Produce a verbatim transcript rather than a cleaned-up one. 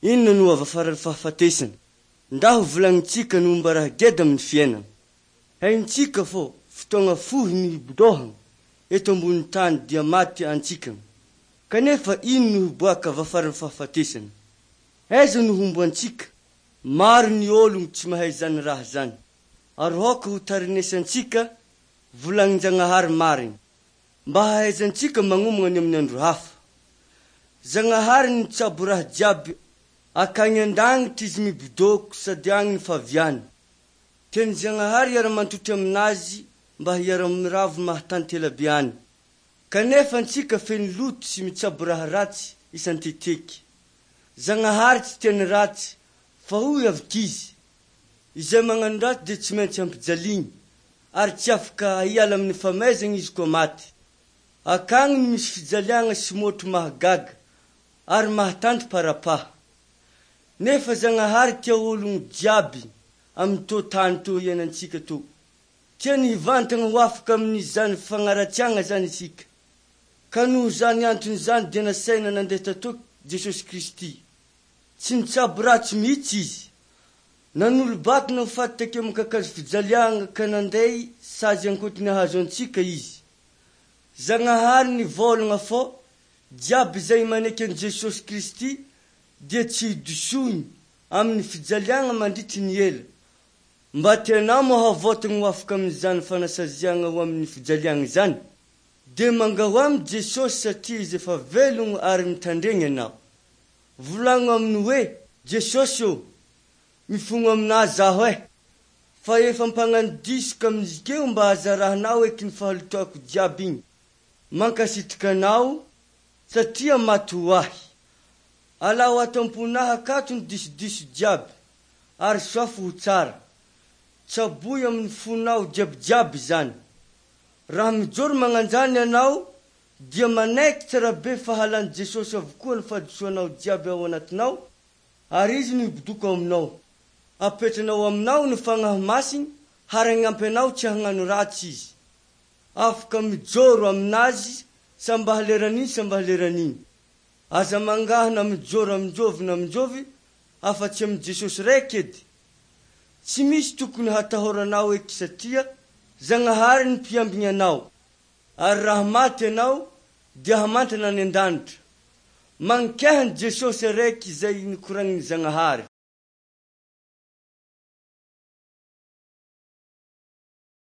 Inona no avy afaran'ny fahafatesana? Ndaho volagnintsika ny momba raha geda amin'ny fiainana. Haintsika fô fotoagna fohy no hibodohagna eto ambony tany dia maty antsikagna. Kanefa ino no hiboaka avy afaran'ny fahafatesana? Aiza no homboantsika? Maro ny ôlogno tsy mahay zany raha zany. Ary aoka ho tarinesantsika volagnin-Jagnahary marigny, mba hahaizantsika magnomagna ny amin'ny andro hafa. Zagnahary nitsabo raha jiaby akagny an-danitra izy mibodôko sady agny ny faviany. Tian'i Zagnahary hiara-mantotry aminazy mba hiara-miravo mahatanty elabe any. Kanefa antsika feno loto sy mitsabo raha ratsy isan-teteky. Zagnahary tsy tia ny ratsy, fa hoy avy izy: Izay magnano ratsy dia tsy maintsy hampijaligny, ary tsy afaka hiala amin'ny famaizana izy koa maty. Akagny no misy fijaliagna sy motro mahagaga ary mahatanty parapaha. Nefa Zagnahary tia ologno jiaby amin'ny tô tany tô iainantsika tô. Tiany hivantana ho afaka amin'izany fagnaratsiagna zany isika. Ka noho zany antony zany dia nasaina nandeha tatô Jesosy Kristy. Tsy nitsabo ratsy mihitsy izy. Nanolo-batana ho faty takeo amin'ny kakazo fijaliagna ka nanday sazy ankotony ahazo antsika izy. Zagnahary nivolagna fô jiaby izay maneky an'i Jesosy Kristy dia tsy hidisoiny amin'ny fijaliagna mandritry ny ela. Mba tianao moa havotagna ho afaka amin'izany fanasaziagna ho amin'ny fijaliagna izany? Dia mangaho aminy Jesosy satria izy efa velogno ary mitandregny anao. Volagno aminy hoe: Jesosy ô, mifogno aminazy zaho e, fa efa mpagnano diso ka amin'izikeo mba azarahanao eky ny fahalotoako jiaby igny. Mankasitraka anao satria maty ho ahy. Alao ato am-ponahy akato ny disodiso jiaby ary soafy ho tsara. Tsaboy amin'ny fonao jiabijiaby zany. Raha mijoro magnanjany ianao dia manaiky tsara be fahalan'i Jesosy avokoa ny fahadisoanao jiaby ao anatinao ary izy no hibodoko ao aminao. Apetranao aminao ny fagnahy masiny ary hagnampy anao tsy hagnano ratsy izy. Afaka mijoro aminazy samba haleran'iny samba haleran'iny. Aza mangaha na mijoro aminjovy na aminjovy afa-tsy amin'i Jesosy raiky edy. Tsy misy tokony hatahoranao eky satria Zagnahary ny mpiambigny anao. Ary raha maty ianao dia hamantana any an-danitra. Mankehany Jesosy araiky izay nikoragnin'i Zagnahary.